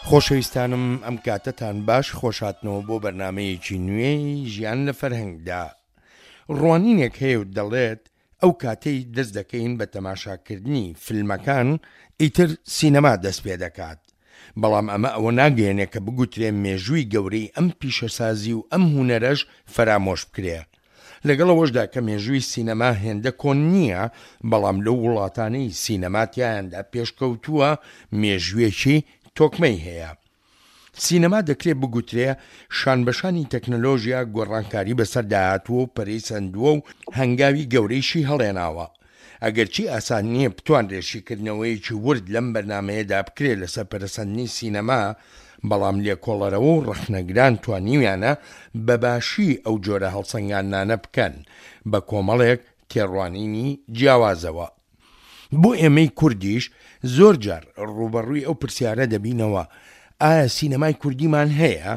خۆشەویستانم ئەم کاتەتان باش خۆشهاتنەوە بۆ بەرنامەیەکی نوێی ژیان لە فەرهەنگدا ڕوانینێک هەیە و دەڵێت ئەو کاتەی دەست دەکەین بە تەماشاکردنی فیلمەکان ئیتر سینەما دەست پێ دەکات بەڵام ئەمە ئەوە ناگەیەنێ کە بگوترێ مێژووی گەورەی ئەم پیشەسازی و ئەم هونەرەش فەرامۆش بکرێ. لەگەڵ ئەوەشدا کە مێژووی سینەما هێندە کۆن نییە، بەڵام لەو وڵاتانەی سینەما تیایاندا پێشکەوتووە مێژوویەکی تۆکمەی هەیە. سینەما دەکرێ بگوترێ شانبەشانی تەکنەلۆژیا گۆڕانکاری بەسەردا هاتووە و پەرەی سەندووە و هەنگاوی گەورەیشی هەڵێناوە. ئەگەرچی ئاسان نییە بتوانرێ شیکردنەوەیەکی ورد لەم بەرنامەیەدا بکرێ لەسەر پەرەسەندنی سینەما، بەڵام لێکۆڵەرەوە و ڕەخنەگران توانیویانە بە باشی ئەو جۆرە هەڵسەنگاندنانە بکەن بە کۆمەڵێک تێڕوانینی جیاوازەوە. بۆ ئێمەی کوردیش زۆر جار ڕووبەڕووی ئەو پرسیارە دەبینەوە، ئایا سینەمای کوردیمان هەیە؟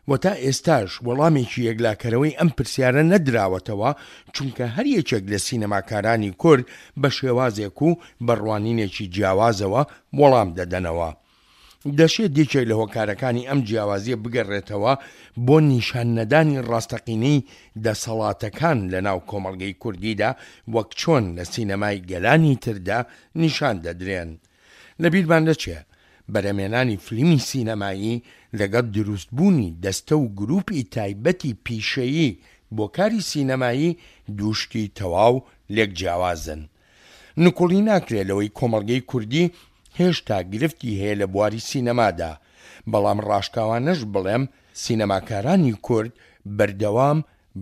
و تا ئێستاش وەڵامێکی یەکلاکەرەوەی ئەم پرسیارە نەدراوەتەوە، چونکە هەر یەکێک لە سینەماکارانی کورد بە شێوازێک و بە ڕوانینێکی جیاوازەوە وەڵام دەدەنەوە. دەشێت یەکێک لە هۆکارەکانی ئەم جیاوازییە بگەڕێتەوە بۆ نیشان نەدانی ڕاستەقینەی دەسەڵاتەکان لەناو کۆمەڵگەی کوردیدا وەک چۆن لە سینەمای گەلانی تردا نیشان دەدرێن. لەبیرمان نەچێ بەرهەمێنانی فلیمی سینەمایی لەگەڵ دروستبوونی دەستە و گرووپی تایبەتی پیشەیی بۆ کاری سینەمایی دوو شتی تەواو لێک جیاوازن. نکوڵی ناکرێ لەوەی کۆمەڵگەی کوردی هێشتا گرفتی هەیە لە بواری سینەمادا، بەڵام ڕاشکاوانەش بڵێم سینەماکارانی کورد بەردەوام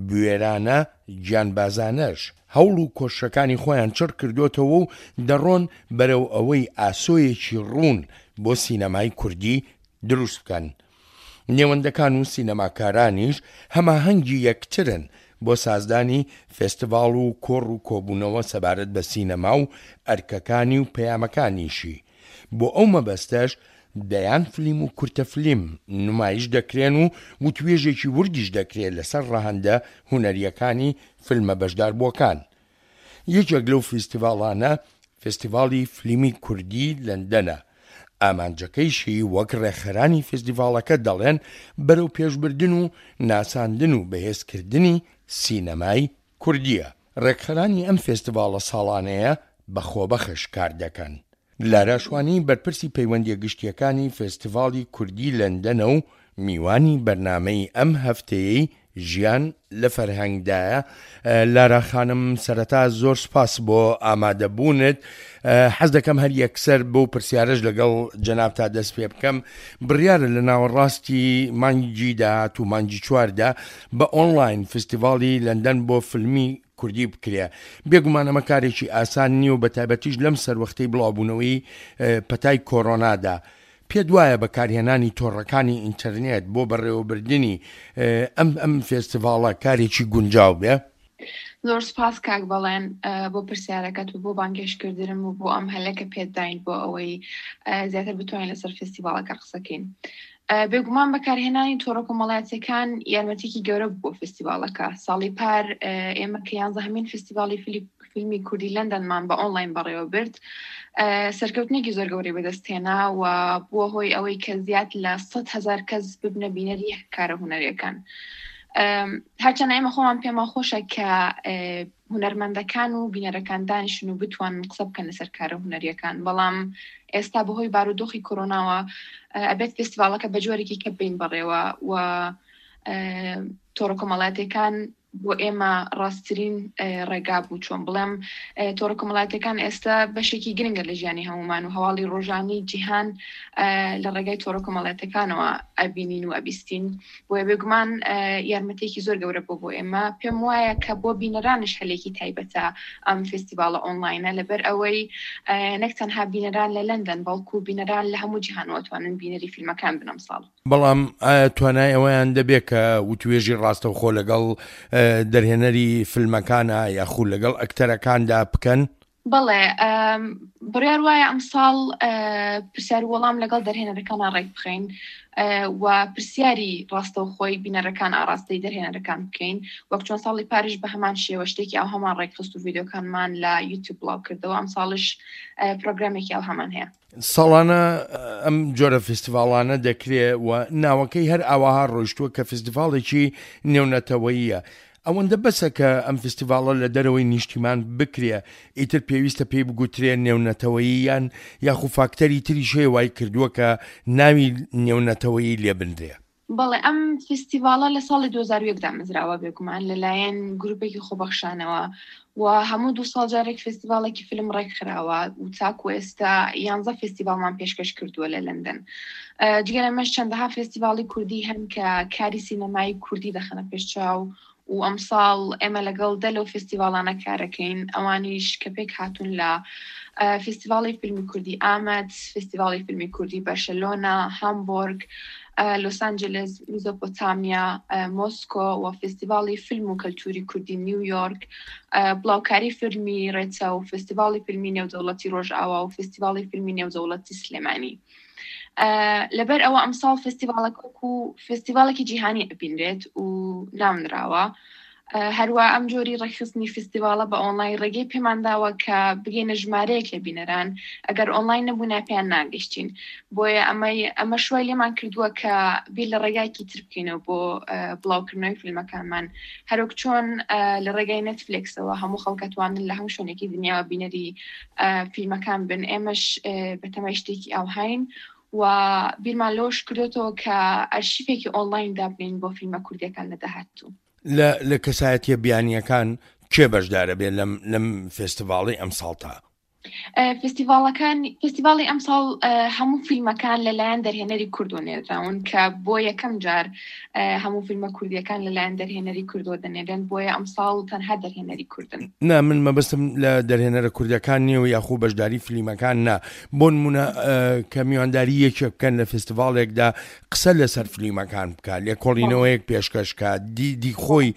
بوێرانە، گیانبازانەش هەوڵ و کۆششەکانی خۆیان چڕ کردۆتەوە و دەڕۆن بەرەو ئەوەی ئاسۆیەکی ڕوون بۆ سینەمای کوردی دروست بکەن. نێوەندەکان و سینەماکارانیش هەماهەنگی یەکترن بۆ سازدانی فێستیڤاڵ و کۆڕ و کۆبوونەوە سەبارەت بە سینەما و ئەرکەکانی و پەیامەکانیشی. بۆ ئەو مەبەستەش دەیان فلیم و کورتە فلیم نمایش دەکرێن و وتوێژێکی وردیش دەکرێت لەسەر ڕەهەندە هونەرییەکانی فیلمە بەشداربووەکان. یەکێک لەو فیستیڤاڵانە فێستیڤاڵی فلیمی کوردی لەندەنە، ئامانجەکەیشی وەک ڕێکخەرانی فێستیڤاڵەکە دەڵێن بەرەوپێشبردن و ناساندن و بەهێزکردنی سینەمای کوردییە. ڕێکخەرانی ئەم فێستیڤاڵە ساڵانەیە بە خۆبەخش کار دەکەن. لارا شوانی بەرپرسی پەیوەندییە گشتییەکانی فێستیڤاڵی کوردی لەندەنە و میوانی بەرنامەی ئەم هەفتەیەی ژیان لە فەرهەنگدایە. لارا خانم سەرەتا زۆر سوپاس بۆ ئامادەبوونت. حەز دەکەم هەر یەکسەر بەو پرسیارەش لەگەڵ جەنابتا دەست پێ بکەم. بڕیارە لە ناوەڕاستی مانگی داهاتوو مانگی چواردا بە ئۆنڵاین فستیڤاڵی لەندەن بۆ فیلمی کوردی بکرێ. بێگومان ئەمە کارێکی ئاسان نییە و بەتایبەتیش لەم سەروەختەی بڵاوبوونەوەی پەتای کۆرۆنادا. پێت وایە بەکارهێنانی تۆڕەکانی ئینتەرنێت بۆ بەڕێوەبردنی ئەم ئەم فێستیڤاڵە کارێکی گونجاو بێ؟ زۆر سپاس کاک بەڵێن بۆ پرسیارەکەت و بۆ بانگێشتکردنم و بۆ ئەم هەلە کە پێت داین بۆ ئەوەی زیاتر بتوانین لەسەر فێستیڤاڵەکە قسەکەین. بێگومان بەکارهێنانی تۆڕە کۆمەڵایەتیەکان یارمەتیکی گەورە بوو بۆ فستیڤاڵەکە ساڵی پار ئێمە کە یانزەهەمین فستیڤاڵی فیلمی کوردی لەندەنمان بە ئۆنلاین بەڕێوە برد سەرکەوتنێکی زۆر گەورەی بەدەستهێنا و بووە هۆی ئەوەی کە زیاد لە 100 هزار کەس ببنە بینەری کارە هونەریەکان هەرچەند ئێمە خۆمان پێمان خۆشە کە هونەرمەندەکان و بینەرەکان دانیشن و بتوانن قسە بکەن لەسەر کارە هونەریەکان بەڵام ئێستا بەهۆی بارودۆخی کۆرۆناوە ئەبێت فستیڤاڵەکە بە جۆرێکی کە بین بەڕێوە و تۆڕە کۆمەڵاتەکان بۆ ئێمە ڕاستترین ڕێگا بوو چۆن بڵێم تۆڕە کۆمەڵاتەکان ئێستا بەشێکی گرنگە لە ژیانی هەمومان و هەواڵی ڕۆژانی جیهان لە ڕێگای تۆڕە کۆمەڵاتەکانەوە ئەبینین و ئەبیستین بۆیە بێگومان یارمەتێکی زۆر گەورە بۆ بۆ ئێمە پێم وایە کە بۆ بینەرانش هەلێکی تایبەتە ئەم فستیڤاڵە ئۆنلاینە لەبەر ئەوەی نەک تەنها بینەران لە لەندەن بەڵکو بینەران لە هەموو جیهانەوە توانن بینەری فیلمەکان بن ئەمساڵ. بەڵام ئایا توانای ئەوەیان دەبێت کە وتوێژی ڕاستەوخۆ لەگەڵ دەرهێنەری فیلمەکانە یاخود لەگەڵ ئەکتەرەکاندا بکەن؟ بەڵێ بڕیار وایە ئەمساڵ پرسیار وەڵام لەگەڵ دەرهێنەرەکانە ڕێک بخەین و پرسیاری ڕاستەوخۆی بینەرەکان ئاراستەی دەرهێنەرەکان بکەین وەک چۆن ساڵی پاریش بە هەمان شێوە شتێکی ئەو هەمان ڕێکخست و ڤیددیوکانمان لە یوتیوب بڵاو کردەوە ئەم ساڵش پرۆگرامێکی ئەو هەمان هەیە. ساڵانە ئەم جۆرە فیستیڤاڵانە دەکرێ و ناوەکەی هەر ئاواها ڕۆیشتووە کە فیستیڤاڵێکی نێونەتەوەییە. ئەوەندە بەسە کە ئەم فیستیڤاڵە لە دەرەوەی نیشتیمان بکرێ ئیتر پێویستە پێی بگوترێ نێونەتەوەیی یان یاخو فاکتەری تریش هەیە وای کردووە کە ناوی نێونەتەوەیی لێ بنرێ؟ بەڵێ ئەم فیستیڤاڵە لە ساڵی 2001 دامەزراوە بێگومان لەلایەن گروپێکی خۆبەخشانەوە و هەموو دوو ساڵ جارێک فێستیڤاڵێکی فیلم ڕێکخراوە و تاکو ئێستا یانزە فێستیڤاڵمان پێشکەش کردووە لە لەندەن. جگە لەمەش چەندەها فێستیڤاڵی کوردی هەن کە کاری سینەمایی کوردی دەخەنە پێش چاو و ئەمساڵ ئێمە لەگەڵ دە لەو فێستیڤاڵانە کارەکەین ئەوانیش کە پێک هاتوون لە فێستیڤاڵی فیلمی کوردی ئامەد، فێستیڤاڵی فیلمی کوردی بەرشەلۆنە، هامبۆرگ، لۆس ئەنجلس، میزۆپۆتامیا، مۆسکۆ و فێستیڤاڵی فیلم و کەلتوری کوردی نیویۆرک، بڵاوکاری فیلمی ڕێچە و فێستیڤاڵی فیلمی نێودەوڵەتی ڕۆژئاوا و فێستیڤاڵی فیلمی نێودەوڵەتی سلێمانی. لەبەر ئەوە ئەمساڵ فێستیڤاڵەکە وەکو فێستیڤاڵێکی جیهانی ئەبینرێت و ناونراوە. هەروا ئەم جۆری ڕێکخستنی فیستیڤاڵە بە ئۆنڵاین ڕێگەی پێمان داوە کە بگەینە ژمارەیەک لە بینەران ئەگەر ئۆنڵاین نەبوونا پێیان ناگەشتین بۆیە ئەمەی ئەمە شوای لێمان کردووە کە بیر لە ڕێگایکی تر بکەینەوە بۆ بڵاوکردنەوەی فیلمەکانمان هەروەک چۆن لە ڕێگای نێتفلێکسەوە هەموو خەڵکەتوانن لە هەموو شوێنێکی دنیاوە بینەری فیلمەکان بن ئێمەش بەتەمای شتێکی ئاوهاین و بیرمان لەوەش کردۆتەوە کە ئەرشیفێکی ئۆنڵاین دابنێین بۆ فیلمە کوردیەکان لە داهاتوو. لە لە کەسایەتیە بیانیەکان کێ بەشدارە بێ لەم لەم فێستیڤاڵی ئەمساڵتا؟ فێستیڤاڵەکان فێستیڤاڵی ئەمساڵ هەموو فیلمەکان لەلایەن دەرهێنەری کوردەوە نێردراون کە بۆ یەکەم جار هەموو فیلمە کوردیەکان لەلایەن دەرهێنەری کوردەوە دەنێرێن بۆیە ئەمساڵ تەنها دەرهێنەری کوردن. نا من مەبەستم لە دەرهێنەرە کوردەکان نییە و یاخو بەشداری فلیمەکان نا بۆ نمونە کە میوانداری یەکێک بکەن لە فستیڤاڵێکدا قسە لەسەر فلیمەکان بکە لێکۆڵینەوەیەک پێشکەش کە دیدی خۆی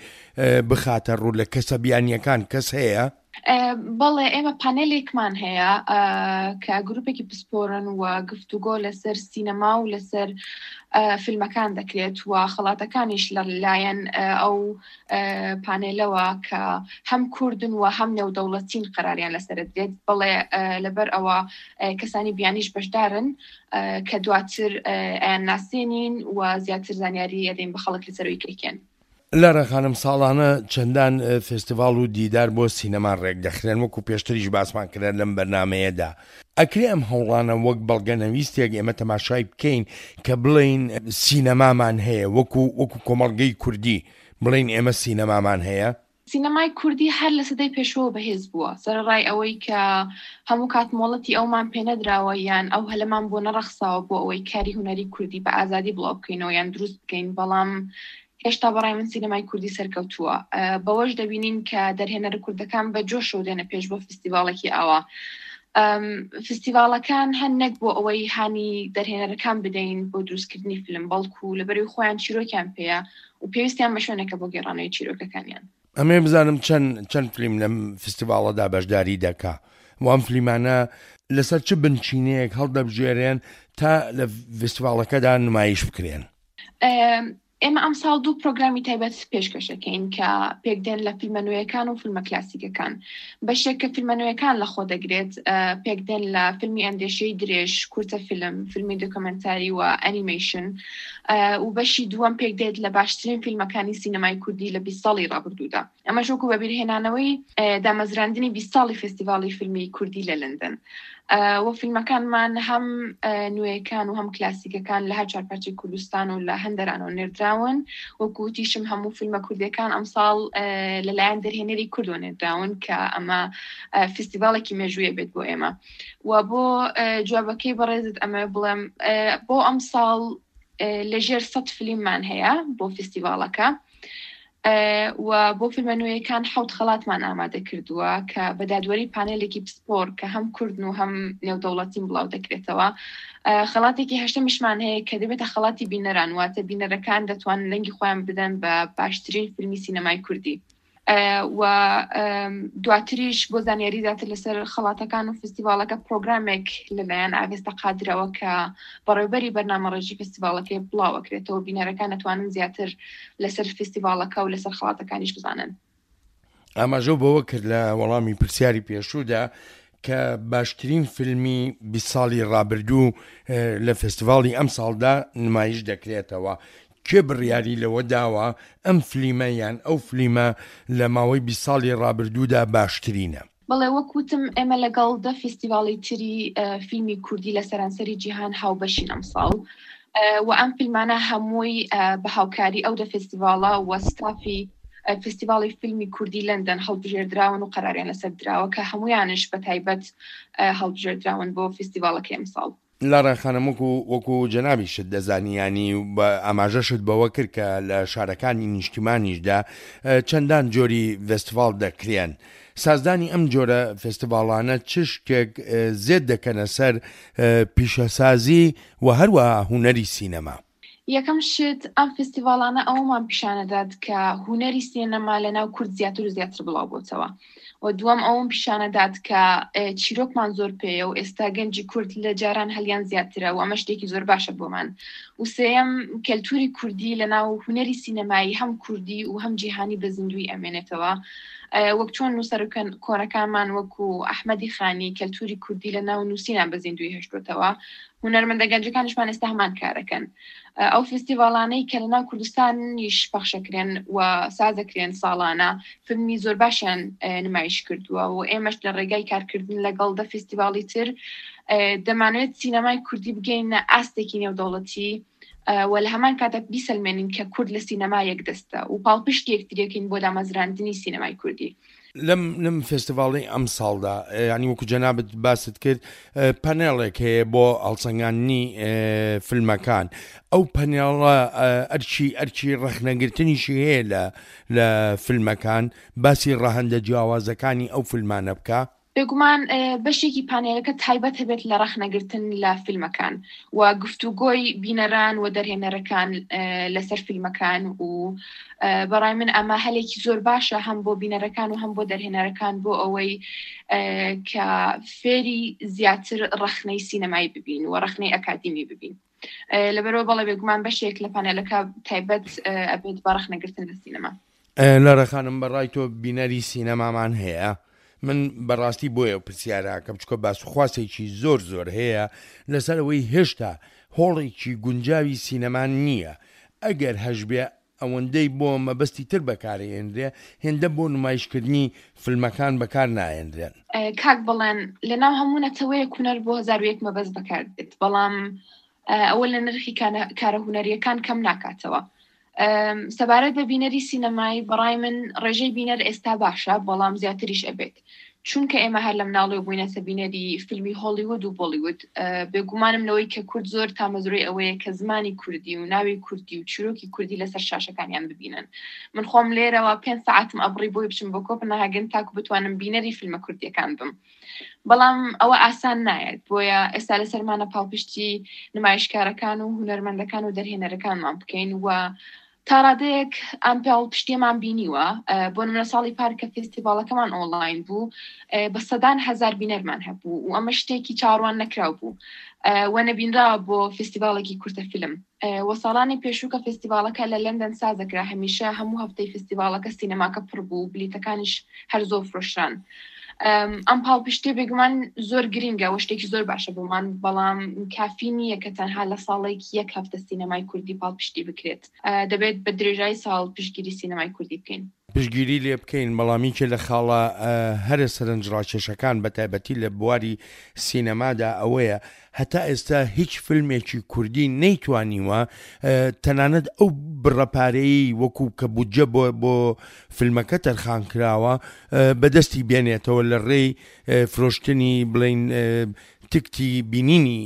بخاتە ڕوو لە کەسە بیانیەکان کەس هەیە؟ بەڵێ ئێمە پانێلێکمان هەیە کە گروپێکی پسپۆرن و گفتوگۆ لەسەر سینەما و لەسەر فیلمەکان دەکرێت و خەڵاتەکانیش لە لایەن ئەو پانێلەوە کە هەم کوردن و هەم نێودەوڵەتین قەراریان لەسەر دێت بەڵێ لەبەر ئەوە کەسانی بیانیش بەشدارن کە دواتر ئەیان ناسێنین و زیاتر زانیاری ئەدەین بە خەڵک لەسەرەوەی کێکێن. لارا خانم ساڵانە چەندان فێستیڤاڵ و دیدار بۆ سینەما ڕێکدەخرێن وەکو پێشتریش باسمان کرا لەم بەرنامەیەدا ئەکرێ ئەم هەوڵانە وەک بەڵگەنەویستێک ئێمە تەماشای بکەین کە بڵێین سینەمامان هەیە وەکو وەکو کۆمەڵگەی کوردی بڵێین ئێمە سینەمامان هەیە؟ سینەمای کوردی هەر لە سەدەی پێشووەوە بەهێز بووە، سەرەڕای ئەوەی کە هەموو کات مۆڵەتی ئەومان پێنەدراوە یان ئەو هەلەمان بۆ نەڕەخساوە بۆ ئەوەی کاری هونەری کوردی بە ئازادی بڵاو بکەینەوە یان دروست بکەین، بەڵام هێشتا بەڕای من سینەمای کوردی سەرکەوتووە. بەوەش دەبینین کە دەرهێنەرە کوردەکان بە جۆشەوە دێنە پێش بۆ فستیڤاڵێکی ئاوا. فستیڤاڵەکان هەن نەک بۆ ئەوەی هانی دەرهێنەرەکان بدەین بۆ دروستکردنی فیلم، بەڵکو لەبەرئەوەی خۆیان چیرۆکیان پێیە و پێویستیان بە شوێنێکە بۆ گێڕانەوەی چیرۆکەکانیان. ئەمەوێ بزانم چەند چەند فلیم لەم فستیڤاڵەدا بەشداری دەکا و ئەم فلیمانە لەسەر چ بنچینەیەک هەڵدەبژێرێن تا لە فستیڤاڵەکەدا نمایش بکرێن؟ ئێمە ئەمساڵ دوو پرۆگرامی تایبەت پێشکەشەکەین کە پێکدێن لە فیلمە نوێیەکان و فیلمە کلاسیکەکان. بەشێک کە فیلمە نوێیەکان لەخۆ دەگرێت پێکدێن لە فیلمی ئەندێشەی درێژ، کورتە فیلم، فیلمی دۆکۆمێنتاری و ئەنیمەیشن و بەشی دووەم پێکدێت لە باشترین فیلمەکانی سینەمای کوردی لە 20 ساڵی ڕابردوودا. ئەمەش وەکو بەبیرهێنانەوەی دامەزراندنی 20 ساڵی فێستیڤاڵی فیلمی کوردی لە لەندەن. و فیلمەکانمان هەم نوێیەکان و هەم کلاسیکەکان لە هەر چوار پارچەی کوردستان و لە هەندەرانەوە نێردراون. وەکو وتیشم هەموو فیلمە کوردیەکان ئەمساڵ لەلایەن دەرهێنەری کوردەوە نێردراون کە ئەمە فیستیڤاڵێکی مێژوویە بێت بۆ ئێمە. و بۆ جوابەکەی بەڕێزت ئەمە بڵێم بۆ ئەمساڵ لەژێر سەد فلیممان هەیە بۆ فیستیڤاڵەکە. و بۆ فیلمە نوێیەکان حەوت خەڵاتمان ئامادە کردووە کە بە دادوەری پانێلێکی پسپۆر کە هەم کوردن و هەم نێودەوڵەتین بڵاو دەکرێتەوە. خەڵاتێکی هەشتەمیشمان هەیە کە دەبێتە خەڵاتی بینەران، واتە بینەرەکان دەتوانن دەنگی خۆیان بدەن بە باشترین فیلمی سینەمای کوردی. و دواتریش بۆ زانیاری زیاتر لەسەر خەڵاتەکان و فستیڤاڵەکە پرۆگرامێک لەلایەن ئاڤێستا قادرەوە کە بەڕێوبەری بەرنامەڕێژی فستیڤاڵەکەی بڵاوەکرێتەوە بینەرەکان دەتوانن زیاتر لەسەر فستیڤاڵەکە و لەسەر خەڵاتەکانیش بزانن. ئاماژەو بەوە کرد لە وەڵامی پرسیاری پێشوودا کە باشترین فیلمی 20 ساڵی ڕابردوو لە فێستیڤاڵی ئەمساڵدا نمایش دەکرێتەوە. کێ بڕیاری لەوە داوە ئەم فلیمە یان ئەو فلیمە لە ماوەی 20 ساڵی ڕابردوودا باشترینە؟ بەڵێ وەک وتم ئێمە لەگەڵ دە فیستیڤاڵی تری فیلمی کوردی لە سەرانسەری جیهان هاوبەشین ئەمساڵ و ئەم فیلمانە هەمووی بە هاوکاری ئەو دە فێستیڤاڵە و ستافی فستیڤاڵی فیلمی کوردی لەندەن هەڵبژێردراون و قەراریان لەسەر دراوە کە هەمویانش بە تایبەت هەڵبژێردراون بۆ فستیڤاڵەکەی ئەمساڵ. لارا خانم وەکو وەکو جەنابیشت دەزانی یانی ئاماژەشت بەوە کرد کە لە شارەکانی نیشتیمانیشدا چەندان جۆری ڤێستیڤاڵ دەکرێن سازدانی ئەم جۆرە فێستیڤاڵانە چ شتێک زێد دەکەنە سەر پیشەسازی و هەروەها هونەری سینەما؟ یەکەم شت ئەم فستیڤاڵانە ئەوەمان پیشانەدات کە هونەری سینەما لە ناو کورد زیاتر و زیاتر بڵاو بۆتەوە و دووەم ئەوم پیشانەدات کە چیرۆکمان زۆر پێیە و ئێستا گەنجی کورد لە جاران هەلیان زیاترە و ئەمە شتێکی زۆر باشە بۆمان و سێیەم کەلتوری کوردی لە ناو هونەری سینەمایی هەم کوردی و هەم جیهانی بە زیندووی ئەمێنێتەوە وەک چۆن نووسەر کۆنەکانمان وەکو ئەحمەدی خانی کەلتوری کوردی لە ناو نووسینان بە زیندووی هێشتوتەوە هونەرمەندە گەنجەکانیشمان ئێستا هەمان کارەکەن ئەو فستیڤاڵانەی کە لەناو کوردستانیش پەخشەکرێن و سازەکرێن ساڵانە فیلمی زۆر باشیان نمایش کردووە و ئێمەش لە ڕێگای کارکردن لەگەڵ دە فستیڤاڵی تر دەمانێت سینەمای کوردی بگەینە ئاستێکی نێودەوڵەتی و لە هەمان کاتە بیسەلمێنین کە کورد لە سینەما یەکدەستە و پاڵپشتی یەکتریەکەین بۆ دامەزراندنی سینەمای کوردی. لەم لەم فێستیڤاڵی ئەمساڵدا یانی وەکو جەنابت باست کرد پەنێڵێک هەیە بۆ هەڵسەنگاندنی فیلمەکان ئەو پەنێڵە ئەرچی ئەرچی ڕەخنەگرتنیشی هەیە لە لە فیلمەکان باسی ڕەهەندە جیاوازەکانی ئەو فیلمانە بکە بێگومان بەشێکی پانێلەکە تایبەت هەبێت لە ڕەخنەگرتن لە فیلمەکان و گفتوگۆی بینەران و دەرهێنەرەکان لەسەر فیلمەکان و بەڕای من ئەمە هەلێکی زۆر باشە هەم بۆ بینەرەکان و هەم بۆ دەرهێنەرەکان بۆ ئەوەی کە فێری زیاتر ڕەخنەی سینەمایی ببین و ڕەخنەی ئەکادیمی ببین لەبەرەوە بەڵێ بێگومان بەشێک لە پانێلەکە تایبەت ئەبێت بە ڕەخنەگرتن لە سینەما. لارا خانم بەڕای تۆ بینەری سینەمامان هەیە؟ من بەڕاستی بۆیە ئەو پرسیارە ئەکەم چونکە باسوخواسێکی زۆر زۆر هەیە لەسەر ئەوەی هێشتا هۆڵێکی گونجاوی سینەما نییە ئەگەر هەشبێ ئەوەندەی بۆ مەبەستی تر بەکارئێنرێ هێندە بۆ نمایشکردنی فلمەکان بەکار ناهێنرێن. کاک بەڵێن، لەناو هەموو نەتەوەیەک هونەر بۆ 1001 مەبەست بەکار دێت، بەڵام ئەوە لە نرخی کارە هونەرییەکان کەم ناکاتەوە. سەبارەت بە بینەری سینەمایی، بەڕای من ڕێژەی بینەر ئێستا باشە، بەڵام زیاتریش ئەبێت. چونکە ئێمە هەر لە مناڵیەوە بووینەتە بینەری فیلمی هۆڵیوود و بۆڵیوود، بێگومانم لەوەی کە کورد زۆر تامەزرۆی ئەوەیە کە زمانی کوردی و ناوی کوردی و چیرۆکی کوردی لەسەر شاشەکانیان ببینن. من خۆم لێرەوە پێنج سەعاتم ئەبڕی بۆی بچم بۆ کۆپنهاگن تاکو بتوانم بینەری فیلمە کوردیەکان بم. بەڵام ئەوە ئاسان نایەت، بۆیە ئێستا لەسەرمانە پاڵپشتی نمایشکارەکان و هونەرمەندەکان و دەرهێنەرەکانمان بکەین و تا ڕادەیەک ئەم پاڵپشتیەمان بینیوە بۆ نمونە ساڵی پار کە فێستیڤاڵەکەمان ئۆنلاین بوو بە سەدان هەزار بینەرمان هەبوو و ئەمە شتێکی چاوەڕوان نەکراو بوو و نەبینراوە بۆ فێستیڤاڵێکی کورتە فیلم و ساڵانی پێشوو کە فێستیڤاڵەکە لە لەندەن سازەکرا هەمیشە هەموو هەفتەی فێستیڤاڵەکە سینەماکە پڕ بوو بلیتەکانیش هەر زۆر فرۆشران. ئەم پاڵپشتیە بێگومان زۆر گرنگە و شتێکی زۆر باشە بۆمان بەڵام کافی نییە کە تەنها لە ساڵێک یەک هەفتە سینەمای کوردی پاڵپشتی بکرێت دەبێت بە درێژای ساڵ پشتگیری سینەمای کوردی بکەین. پشتگیری لێ بکەین بەڵام یەکێ لە خاڵە هەرە سەرنجڕاکێشەکان بە تایبەتی لە بواری سینەمادا ئەوەیە هەتا ئێستا هیچ فیلمێکی کوردی نەیتوانیوە تەنانەت ئەو بڕە پارەیەی وەکو کە بودجە بۆ بۆ فیلمەکە تەرخان کراوە بەدەستی بێنێتەوە لە ڕێی فرۆشتنی بڵین تکتی بینینی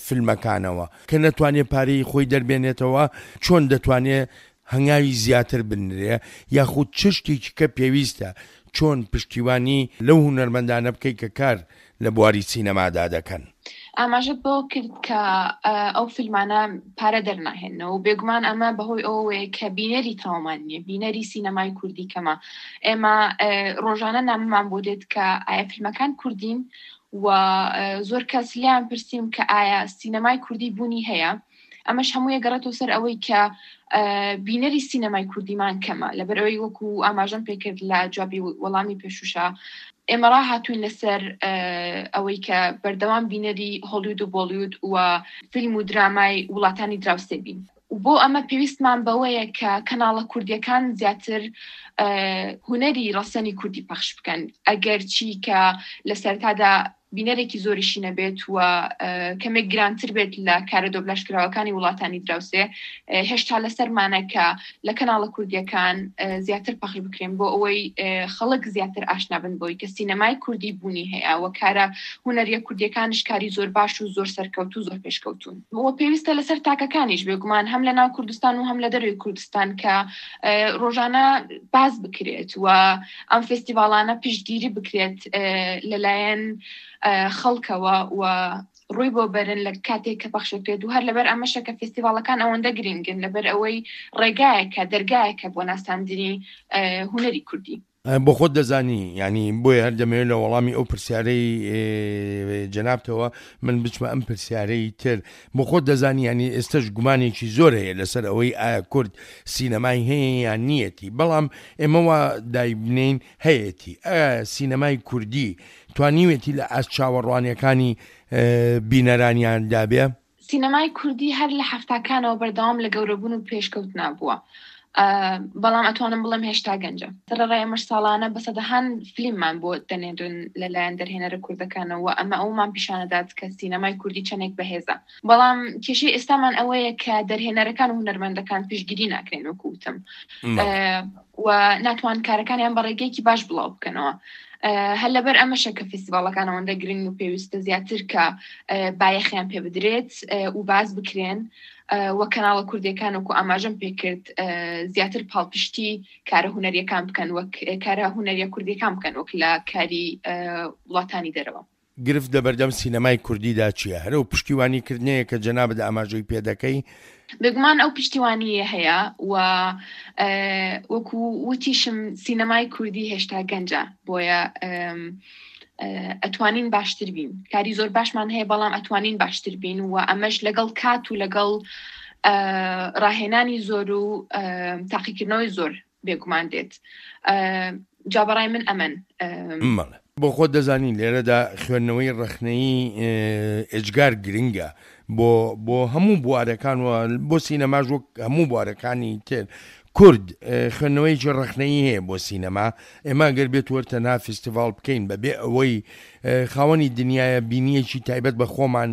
فیلمەکانەوە کە نەتوانێت پارەی خۆی دەربێنێتەوە چۆن دەتوانێت هەنگاوی زیاتر بنرێ یاخود چ شتێکی کە پێویستە؟ چۆن پشتیوانی لەو هونەرمەندانە بکەی کە کار لە بواری سینەمادا دەکەن؟ ئاماژەت بەوە کرد کە ئەو فیلمانە پارە دەرناهێنەوە و بێگومان ئەمە بەهۆی ئەوەیە کە بینەری تەواومان نییە، بینەری سینەمای کوردی کەمە. ئێمە ڕۆژانە نامەمان بۆ دێت کە ئایا فیلمەکان کوردین و زۆر کەس لێیان پرسیم کە ئایا سینەمای کوردی بوونی هەیە؟ ئەمەش هەمووی گەڕێتەوە سەر ئەوەی کە بینەری سینەمای کوردیمان کەمە لەبەر ئەوەی وەکو ئاماژەم پێکرد لە جوابی وەڵامی پێشوشا ئێمە ڕاهاتوین لەسەر ئەوەی کە بەردەوام بینەری هۆلیود و بۆلیود و فیلم و درامای وڵاتانی دراوسێ بین و بۆ ئەمە پێویستمان بەوەیە کە کەناڵە کوردیەکان زیاتر هونەری ڕەسەنی کوردی پەخش بکەن ئەگەر چی کە لە سەرتادا بینەرێکی زۆریشی نەبێت و کەمێک گرانتر بێت لە کارە دۆبلاژکراوەکانی وڵاتانی دراوسێ، هێشتا لەسەرمانە کە لە کەناڵە کوردییەکان زیاتر پەخش بکرێن بۆ ئەوەی خەڵک زیاتر ئاشنا بن بەوەی کە سینەمای کوردی بوونی هەیە و کارە هونەرییە کوردییەکانیش کاری زۆر باش و زۆر سەرکەوتوو و زۆر پێشکەوتوون و پێویستە لەسەر تاکەکانیش بێگومان هەم لە ناو کوردستان و هەم لە دەرەوەی کوردستان کە ڕۆژانە باس بکرێت و ئەم فێستیڤاڵانە پشتگیری بکرێت لەلایەن خەڵکەوە و ڕووی بۆ بەرن لە کاتێک کە پەخشەکرێت و هەر لەبەر ئەمەشە کە فێستیڤاڵەکان ئەوەندە گرنگن لەبەر ئەوەی ڕێگایەکە دەرگایەکە بۆ ناساندنی هونەری کوردی. بۆ خۆت دەزانی یانی بۆیە هەر دەمەوێت لە وەڵامی ئەو پرسیارەی جەنابتەوە من بچمە ئەم پرسیارەی تر بۆ خۆت دەزانی یانی ئێستەش گومانێکی زۆر هەیە لەسەر ئەوەی ئایا کورد سینەمای هەیە یان نییەتی بەڵام ئێمە وا دایبنێین هەیەتی ئایا سینەمای کوردی توانیوێتی لە ئاست چاوەڕوانیەکانی بینەرانیاندا بێ؟ سینەمای کوردی هەر لە حەفتاکانەوە بەردەوام لە گەورەبوون و پێشکەوتنا بووە بەڵام ئەتوانم بڵێم هێشتا گەنجە. سەرەڕای ئەمەش ساڵانە بە سەدەهان فلیممان بۆ دەنێرن لەلایەن دەرهێنەرە کوردەکانەوە ئەمە ئەوەمان پیشانەدات کە سینەمای کوردی چەندێک بەهێزە بەڵام کێشەی ئێستامان ئەوەیە کە دەرهێنەرەکان و هونەرمەندەکان پشتگیری ناکرێن وەکو وتم و ناتوان کارەکانیان بە ڕێگەیەکی باش بڵاو بکەنەوە هەر لەبەر ئەمەشە کە فیستیڤاڵەکان ئەوەندە گرنگ و پێویستە زیاتر کە بایەخیان پێ بدرێت و باز بکرێن و کەناڵە کوردیەکان وەکو ئاماژەم پێکرد زیاتر پاڵپشتی کارە هونەریەکان بکەن وەک کارە هونەریە کوردیەکان بکەن وەک لە کاری وڵاتانی دەرەوە. گرفت لەبەردەم سینەمای کوردیدا چییە؟ هەر ئەو پشتیوانی کردنەیە کە جەنابت ئاماژەی پێ دەکەی؟ بێگومان ئەو پشتیوانییە هەیە و وەکو وتیشم سینەمای کوردی هێشتا گەنجە بۆیە ئەتوانین باشتر بین کاری زۆر باشمان هەیە بەڵام ئەتوانین باشتر بین و ئەمەش لەگەڵ کات و لەگەڵ ڕاهێنانی زۆر و تاقیکردنەوەی زۆر بێگومان دێت جا بەڕای من ئەمەن. بەڵێ بۆ خۆت دەزانی لێرەدا خوێندنەوەی ڕەخنەیی ئێجگار گرنگە بۆ بۆ هەموو بوارەکان و بۆ سینەماش وەک هەموو بوارەکانی تر کورد خوێندنەوەیەکی ڕەخنەیی هەیە بۆ سینەما ئێمە گەر بێت وەر تەنها فیستیڤاڵ بکەین بەبێ ئەوەی خاوەنی دنیایە بینیەکی تایبەت بە خۆمان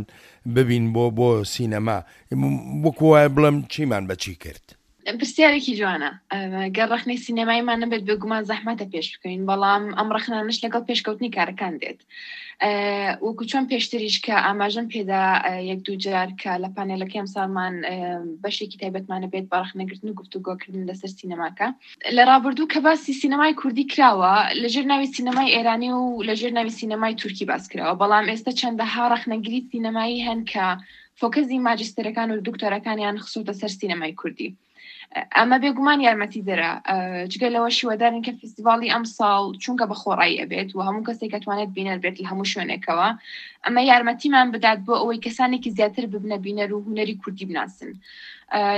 ببین بۆ بۆ سینەما وەکو وایە بڵێم چیمان بەچی کرد. پرسیارێکی جوانە. گەر ڕەخنەی سینەماییمان نەبێت بێگومان زەحمەتە پێش بکەوین، بەڵام ئەم ڕەخنانەش لەگەڵ پێشکەوتنی کارەکان دێت. وەکو چۆن پێشتریش کە ئاماژەم پێدا یەک دوو جار کە لە پانێلەکەی ئەمساڵمان بەشێکی تایبەتمانە بێت بە ڕەخنەگرتن و گفتوگۆکردن لەسەر سینەماکە. لە ڕابردوو کە باسی سینەمای کوردی کراوە لەژێر ناوی سینەمای ئێرانی و لەژێر ناوی سینەمای تورکی باس کراوە، بەڵام ئێستا چەندەها ڕەخنەگری سینەمایی هەن کە فۆکەسی ماجستەرەکان و دکتۆرەکانیان خستۆتە سەر سینەمای کوردی. ئەمە بێگومان یارمەتی دەرە جگە لەوە شیوەدارین کە فیستیڤاڵی ئەم ساڵ چونکە بە خۆڕایی ئەبێت و هەموو کەسێک ئەتوانێت بینەر بێت لە هەموو شوێنێکەوە ئەمە یارمەتیمان بدات بۆ ئەوەی کەسانێکی زیاتر ببنە بینەر و هونەری کوردی بناسن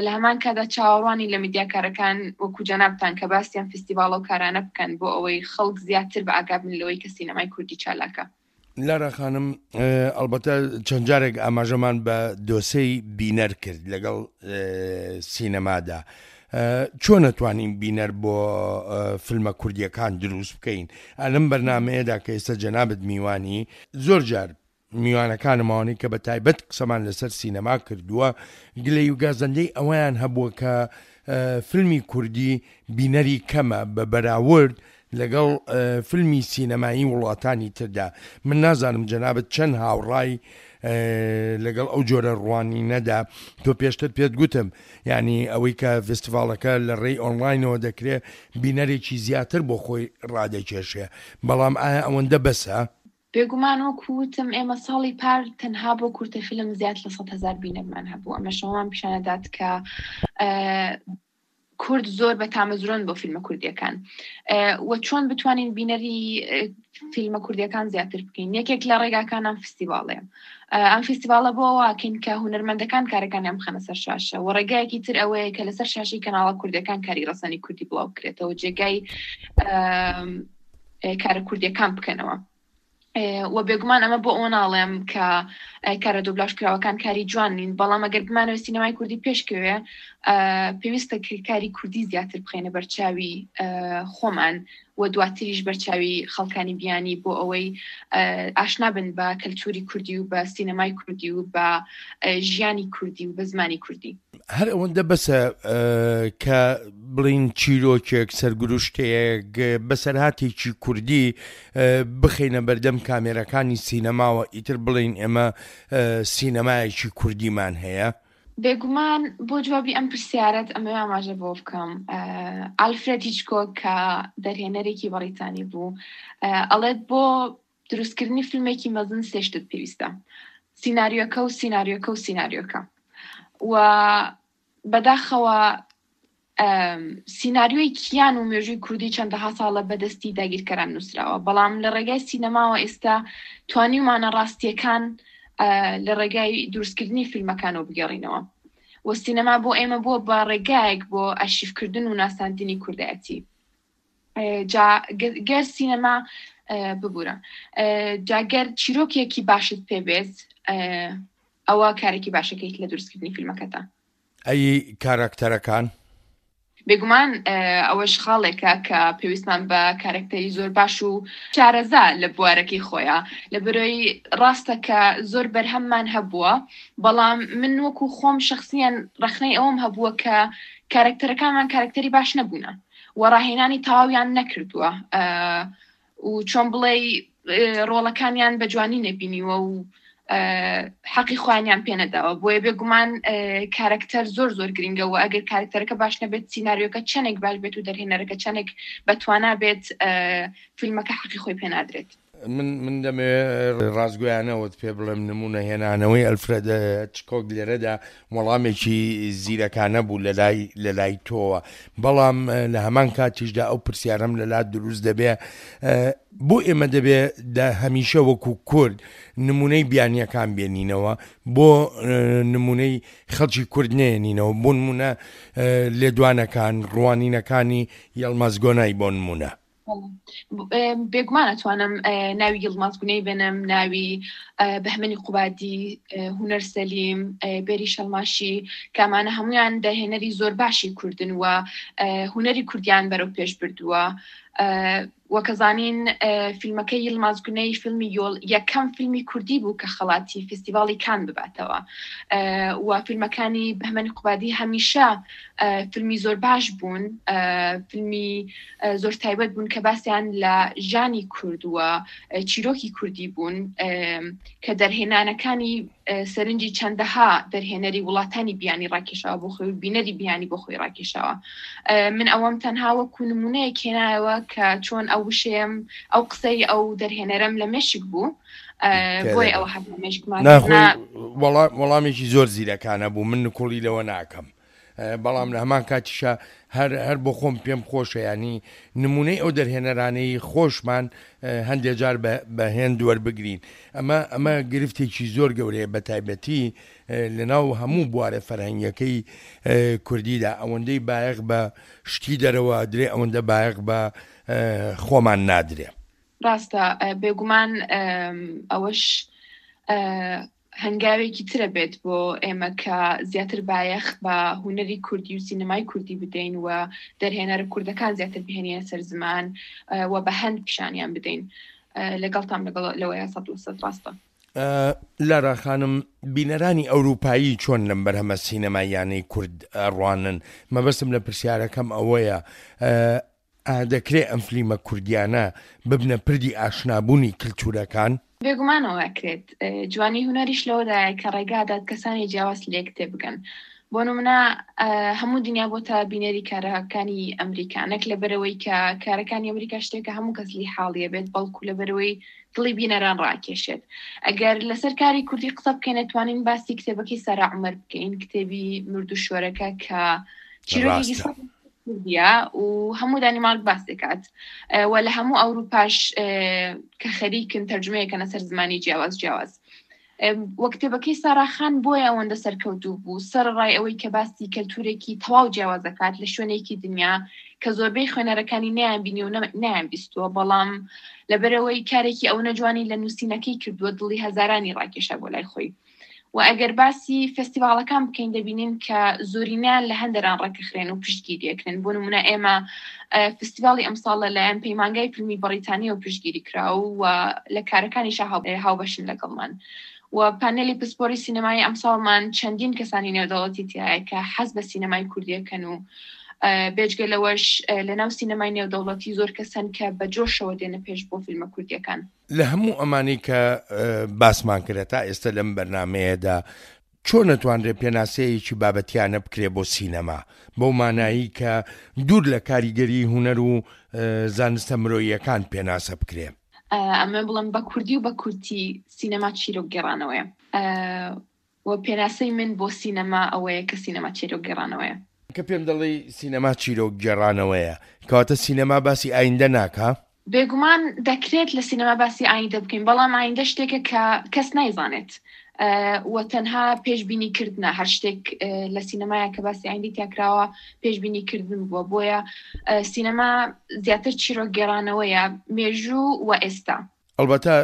لە هەمان کادا چاوەڕوانی لە میدیاکارەکان وەکو جەنابتان کە باسیان فیستیڤاڵ و کارانە بکەن بۆ ئەوەی خەڵک زیاتر بە ئاگا بن لەوەی کە سینەمای کوردی چالاکە. لارا خانم ئەڵبەتە چەند جارێک ئاماژەمان بە دۆسێی بینەر کرد لەگەڵ سینەمادا چۆن ئەتوانین بینەر بۆ فیلمە کوردیەکان دروست بکەین ئەلم بەرنمەیەدا کە ئێستا جەنابت میوانی زۆر جار میوانەکانم ئەوانەی کە بە تایبەت قسەمان لەسەر سینەما کردووە گلەی و گازەندەی ئەوەیان هەبووە کە فیلمی کوردی بینەری کەمە بە بەراورد لەگەڵ فیلمی سینەمایی وڵاتانی تردا. من نازانم جەنابت چەند هاوڕای لەگەڵ ئەو جۆرە ڕوانینەدا تۆ پێشتر پێت گوتم یانی ئەوەی کە ڤستیڤاڵەکە لە ڕێی ئۆنڵاینەوە دەکرێ بینەرێکی زیاتر بۆ خۆی ڕادەکێشێ بەڵام ئایا ئەوەندە بەسە؟ بێگومان وەکو وتم ئێمە ساڵی پار تەنها بۆ کورتە فیلم زیاد لە 100 هەزار بینەرمان هەبوو ئەمەش ئەوەمان پیشانەدات کە کورد زۆر بە تامەزرۆن بۆ فیلمە کوردیەکان و چۆن بتوانین بینەری فیلمە کوردیەکان زیاتر بکەین یەکێک لە ڕێگاکان ئەم فستیواڵەیە ئەم فستیواڵە بۆ واکەین کە هونەرمەندەکان کارەکانیان بخەنە سەر شاشە و ڕێگایەکی تر ئەوەیە کە لەسەر شاشەی کەناڵە کوردەکان کاری ڕەسەنی کوردی بڵاو بکرێتەوە جێگای کارە کوردیەکان بکەنەوە و بێگومان ئەمە بۆ ئەوە ناڵێم کە کارە دۆبلاژ کراوەکان کاری جوان نین بەڵام ئەگەر بمانەوە سینەمای کوردی پێشکەوێ پێویستە کاری کوردی زیاتر بخەینە بەرچاوی خۆمان و دواتریش بەرچاوی خەڵکانی بیانی بۆ ئەوەی ئاشنا بن بە کەلتوری کوردی و بە سینەمای کوردی و بە ژیانی کوردی و بە زمانی کوردی. هەر ئەوەندە بەسە کە بڵین چیرۆکێک سەرگروشتەیەک بەسەرهاتێکی کوردی بخەینە بەردەم کامێرەکانی سینەماوە ئیتر بڵین ئێمە سینەمایەکی کوردیمان هەیە؟ بێگومان بۆ جوابی ئەم پرسیارەت ئەمەوێ ئاماژە بۆ بکەم ئالفرێد هیچکۆک کە دەرهێنەرێکی بەڕیتانی بوو ئەڵێت بۆ دروستکردنی فیلمێکی مەزن سێ شتت پێویستە سیناریۆکە و سیناریۆکە و سیناریۆکە و بەداخەوە سیناریۆی کیان و مێژووی کوردی چەندەها ساڵە بەدەستی داگیرکەران نووسراوە بەڵام لە ڕێگای سینەماوە ئێستا توانیومانە ڕاستیەکان لە ڕێگای دروستکردنی فیلمەکانەوە بگێڕینەوە و سینەما بۆ ئێمە بووە بە ڕێگایەک بۆ ئەرشیفکردن و ناساندنی کوردایەتی جا گەر سینەما ببورە جا گەر چیرۆکێکی باشت پێ بێت ئەوە کارێکی باشەکەیت لە دروستکردنی فیلمەکەتا. ئەی کاراکتەرەکان؟ بێگومان ئەوەش خاڵێکە کە پێویستمان بە کارەکتەری زۆر باش و شارەزا لە بوارەکەی خۆیە لەبەرەوەی ڕاستە کە زۆر بەرهەممان هەبووە بەڵام من وەکو خۆم شخصیان ڕەخنەی ئەوەم هەبووە کە کارەکتەرەکانمان کارەکتەری باش نەبوونە و ڕاهێنانی تەواویان نەکردووە و چۆن بڵێ ڕۆڵەکانیان بە جوانی نەبینیوە و حەقی خۆیانیان پێنەداوە بۆیە بێگومان کارکتەر زۆر زۆر گرنگە و ئەگەر کارکتەرەکە باش نەبێت سینناریۆکە چەندێک باش بێت و دەرهێنەرەکە چەندێک بەتوانا بێت فیلمەکە حەقی خۆی پێنادرێت. من من دەمەوێ ڕاستگۆیانەوەت پێ بڵێم نمونە هێنانەوەی ئەلفرێد هیچکۆک لێرەدا وەڵامێکی زیرەکانە بوو لەلای لەلای تۆوە بەڵام لە هەمان کاتیشدا ئەو پرسیارەم لەلا دروست دەبێ بۆ ئێمە دەبێ هەمیشە وەکو کورد نمونەی بیانیەکان بێنینەوە بۆ نمونەی خەڵکی کورد نێنینەوە بۆ نمونە لێدوانەکان ڕوانینەکانی یەڵماز گۆنای بۆ نمونە. بێگومان ئەتوانم ناوی یڵماز گونەی بێنم ناوی بەهمەنی قوبادی هونەر سەلیم بێری شەڵماشی کامانە هەمویان داهێنەری زۆر باشی کوردن و هونەری کوردیان بەرەو پێش بردووە وەکەزانین فیلمەکەی یڵماز گونەی فیلمی یۆل یەکەم فیلمی کوردی بوو کە خەڵاتی فستیڤاڵی کان بباتەوە و فیلمەکانی بەهمەنی قوبادی هەمیشە فیلمی زۆر باش بوون فیلمی زۆر تایبەت بوون کە باسیان لە ژیانی کورد و چیرۆکی کوردی بوون کە دەرهێنانەکانی سەرنجی چەندەها دەرهێنەری وڵاتانی بیانی ڕاکێشاوە بۆ خۆی و بینەری بیانی بۆ خۆی ڕاکێشاوە من ئەوەم تەنها وەکو نمونەیەک هێنایەوە کە چۆن ئەو وشەیەم ئەو قسەی ئەو دەرهێنەرەم لە مێشک بوو بۆیە ئەوە هەر لە مێشکمان وەڵامێکی زۆر زیرەکانە بوو من نکوڵی لەوە ناکەم بەڵام لە هەمان کاتیشا هەر هەر بۆ خۆم پێم خۆشە یانی نمونەی ئەو دەرهێنەرانەی خۆشمان هەندێ جار بە هێند وەربگرین ئەمە ئەمە گرفتێکی زۆر گەورەیە بە تایبەتی لەناو هەموو بوارە فەرهەنگیەکەی کوردیدا ئەوەندەی بایەخ بە شتی دەرەوە درێ ئەوەندە بایەخ بە خۆمان نادرێ. ڕاستە بێگومان ئەوەش هەنگاوێکی ترە بێت بۆ ئێمە کە زیاتر بایەخ بە هونەری کوردی و سینەمای کوردی بدەین و دەرهێنەرە کوردەکان زیاتر بهێنینە سەر زمان و بە هەند پیشانیان بدەین لەگەڵتان لەگەڵ لەوەیە 100% ڕاستە. لارا خانم، بینەرانی ئەوروپایی چۆن لەم بەرهەمە سینەماییانەی کورد ئەڕوانن؟ مەبەستم لە پرسیارەکەم ئەوەیە. ئایا دەکرێ ئەم فلیمە کوردیانە ببنە پردی ئاشنابوونی کلتورەکان؟ بێگومان ئەوە ئەکرێت. جوانی هونەریش لەوەدایە کە ڕێگا دات کەسانی جیاواز لێک تێبگەن. بۆ نمونە هەموو دنیا بۆتە بینەری کارەکانی ئەمریکا، نەک لەبەرئەوەی کە کارەکانی ئەمریکا شتێکە هەموو کەس لێی حاڵیە بێت، بەڵکو لەبەرئەوەی دڵی بینەران ڕاکێشێت. ئەگەر لەسەر کاری کوردی قسە بکەین ئەتوانین باسی کتێبەکەی سارا عومەر بکەین، کتێبی مردوو شۆرەکە کە چیرۆکێکی ڕاستە. کوردیە و هەموو دانیمارک باس دەکات و لە هەموو ئەوروپاش کە خەریکن تەرجمەیەکەنە سەر زمانی جیاواز جیاواز. وە کتێبەکەی سارا خان بۆیە ئەوەندە سەرکەوتوو بوو سەرەڕای ئەوەی کە باسی کەلتورێکی تەواو جیاواز دەکات لە شوێنێکی دنیا کە زۆربەی خوێنەرەکانی نەیان بینی و نەیان بیستووە بەڵام لەبەرەوەی کارێکی ئەوەنە جوانی لە نووسینەکەی کردووە دڵی هەزارانی ڕاکێشا بۆ لای خۆی. و ئەگەر باسی فێستیڤاڵەکان بکەین دەبینین کە زۆرینەیان لە هەندەران ڕێکخرێن و پشتگیری ئەکرێن بۆ نمونە ئێمە فستیڤاڵی ئەمساڵ لەلایەن پەیمانگای فیلمی بەڕیتانیەوە پشتگیری کرا و لە کارەکانیشا هاوبەشن لەگەڵمان و پانێلی پسپۆری سینەمایی ئەمساڵمان چەندین کەسانی نێودەوڵەتی تایە کە حەز بە سینەمای کوردیەکەن و بێجگە لەوەش لەناو سینەمای نێودەوڵەتی زۆر کەسەن کە بە جۆشەوە دێنە پێش بۆ فیلمە کوردیەکان. لە هەموو ئەمانەی کە باسمان کرد تا ئێستا لەم بەرنامەیەدا چۆن ئەتوانرێ پێناسەیەکی بابەتیانە بکرێ بۆ سینەما بەو مانایی کە دوور لە کاریگەری هونەر و زانستە مرۆییەکان پێناسە بکرێ؟ ئەمە بڵێم بە کوردی و بە کورتی سینەما چیرۆک گێڕانەوەیە. و پێناسەی من بۆ سینەما ئەوەیە کە سینەما چیرۆک گێڕانەوەیە. کە پێم دەڵێی سینەما چیرۆک گێڕانەوەیە، کەواتە سینەما باسی ئایندە ناکا؟ بێگومان دەکرێت لە سینەما باسی ئایندە بکەین، بەڵام ئایندە شتێکە کە کەس نایزانێت و تەنها پێشبینی کردنە، هەر شتێک لە سینەمایە کە باسی ئایندەی تیا کراوە پێشبینی کردن بووە، بۆیە سینەما زیاتر چیرۆک گێڕانەوەیە، مێژوو و ئێستا. ئەڵبەتە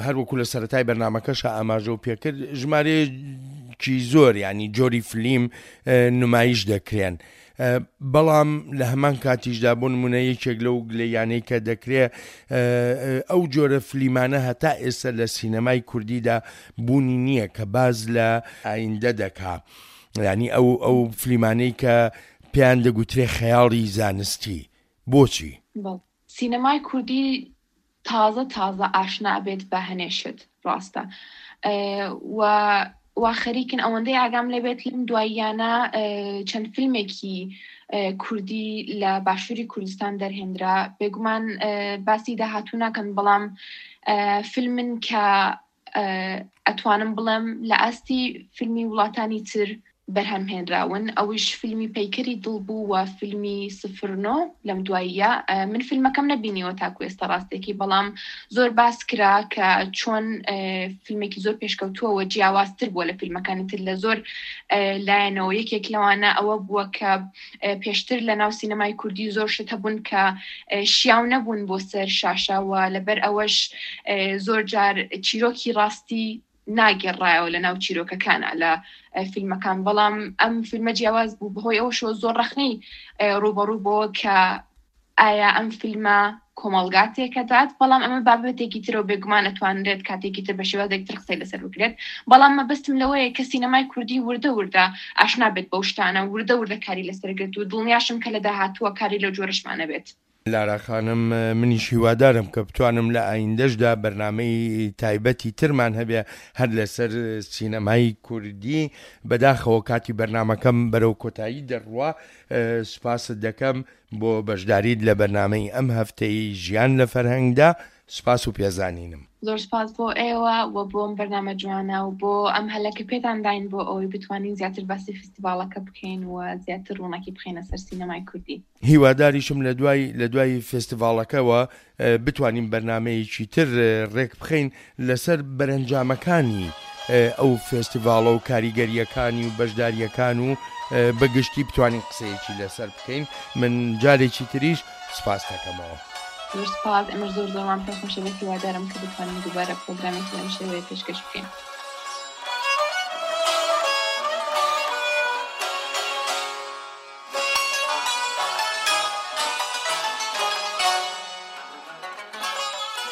هەر وەکو لە سەرەتای بەرنامەکەشا ئاماژەو پێکرد ژمارەیەکی زۆر ینی جۆری فلیم نمایش دەکرێن بەڵام لە هەمان کاتیشدا بۆ نمونە یەکێک لەو گلەیانەی کە دەکرێ ئەو جۆرە فلیمانە هەتا ئێستا لە سینەمای کوردیدا بوونی نییە کە باز لە ئایندە دەکا ینی ئەو ئەو فلیمانەی کە پێیان دەگوترێ خەیاڵی زانستی بۆچی؟ سینەمای کوردی تازە تازە ئاشنا ئەبێت بە هەنێ شت ڕاستە و وا خەریکن ئەوەندەی ئاگام لێبێت لەم دواییانە چەند فیلمێکی کوردی لە باشووری کوردستان دەرهێنرا بێگومان باسی داهاتوو ناکەن بەڵام فیلمن کە ئەتوانم بڵێم لە ئاستی فیلمی وڵاتانی تر بەرهەم هێنراون ئەویش فیلمی پەیکەری دڵ بوو و فیلمی سفرنۆ لەم دواییە من فیلمەکەم نەبینیوە تاکو ئێستا ڕاستێکی بەڵام زۆر باس کرا کە چۆن فیلمێکی زۆر پێشکەوتووەوە جیاوازتر بووە لە فیلمەکانی تر لە زۆر لایەنەوە یەکێک لەوانە ئەوە بووە کە پێشتر لە ناو سینەمای کوردی زۆر شت هەبوون کە شیاو نەبوون بۆ سەر شاشە و لەبەر ئەوەش زۆر جار چیرۆکی ڕاستی ناگێڕایەوە لە ناو چیرۆکەکانە لە فیلمەکان بەڵام ئەم فیلمە جیاواز بوو بەهۆی ئەوەشەوە زۆر ڕەخنەی ڕووبەڕوو بۆ کە ئایا ئەم فیلمە کۆمەڵگا تێکەدات بەڵام ئەمە بابەتێکی ترە و بێگومان ئەتوانرێت کاتێکی تر بە شێوازێک تر قسەی لەسەر بکرێت بەڵام مەبەستم لەوەیە کە سینەمای کوردی وردە وردە ئاشنا بێت بەو شتانە وردە وردە کاری لەسەر گرت و دڵنیاشم کە لە داهاتووە کاری لەو جۆرەشمان ئەبێت. لارا خانم منیش هیوادارم کە بتوانم لە ئایندەشدا بەرنامەی تایبەتی ترمان هەبێ هەر لەسەر سینەمای کوردی بەداخەوە کاتی بەرنامەکەم بەرەو کۆتایی دەڕوا سوپاست دەکەم بۆ بەشداریت لە بەرنامەی ئەم هەفتەی ژیان لە فەرهەنگدا سوپاس و پێزانینم. زۆر سوپاس بۆ ئێوە و بۆ ئەم بەرنامە جوانە و بۆ ئەم هەلە کە پێتان داین بۆ ئەوەی بتوانین زیاتر باسی فیستیڤاڵەکە بکەین و زیاتر ڕووناکی بخەینە سەر سینەمای کوردی. هیواداریشم لە دوای لە دوای فێستیڤاڵەکەوە بتوانین بەرنامەیەکی تر ڕێک بخەین لەسەر بەرەنجامەکانی ئەو فێستیڤاڵە و کاریگەرییەکانی و بەشدارییەکان و بە گشتی بتوانین قسەیەکی لەسەر بکەین من جارێکی تریش سوپاست دەکەمەوە. زۆر سوپاس، ئێمەش زۆر زۆرمان پێ خۆشە بێت، هیوادارم کە بتوانین دووبارە پرۆگرامێکی لەم شێوەیە پێشکەش بکەین.